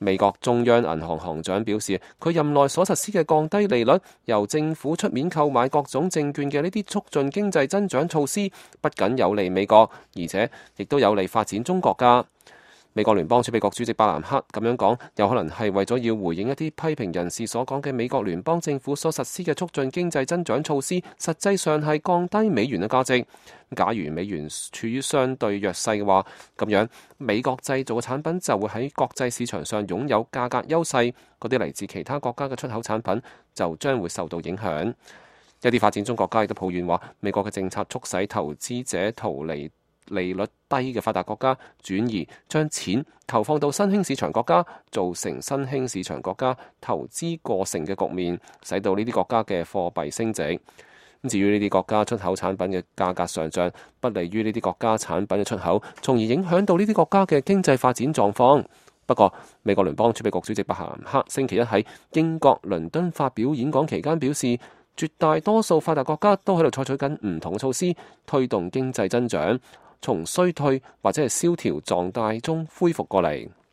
美國中央銀行行長表示，佢任內所實施嘅降低利率、由政府出面購買各種證券嘅呢啲促進經濟增長措施，不僅有利美國，而且亦都有利發展中國家。美國聯邦儲備局主席伯南克咁樣講，有可能係為咗要回應一啲批評人士所講嘅美國聯邦政府所實施嘅促進經濟增長措施，實際上係降低美元嘅價值。假如美元處於相對弱勢嘅話，咁樣美國製造嘅產品就會喺國際市場上擁有價格優勢，嗰啲嚟自其他國家嘅出口產品就將會受到影響。一啲發展中國家亦都抱怨話，美國嘅政策促使投資者逃離利率低嘅發達國家，轉移將錢投放到新興市場國家，造成新興市場國家投資過剩嘅局面，使到呢啲國家嘅貨幣升值。至於呢啲國家出口產品嘅價格上漲，不利於呢啲國家產品嘅出口，從而影響到呢啲國家嘅經濟發展狀況。不過，美國聯邦儲備局主席伯南克星期一喺英國倫敦發表演講期間表示，絕大多數發達國家都喺度採取緊唔同嘅措施，推動經濟增長從衰退或者係蕭條狀態中恢復過嚟。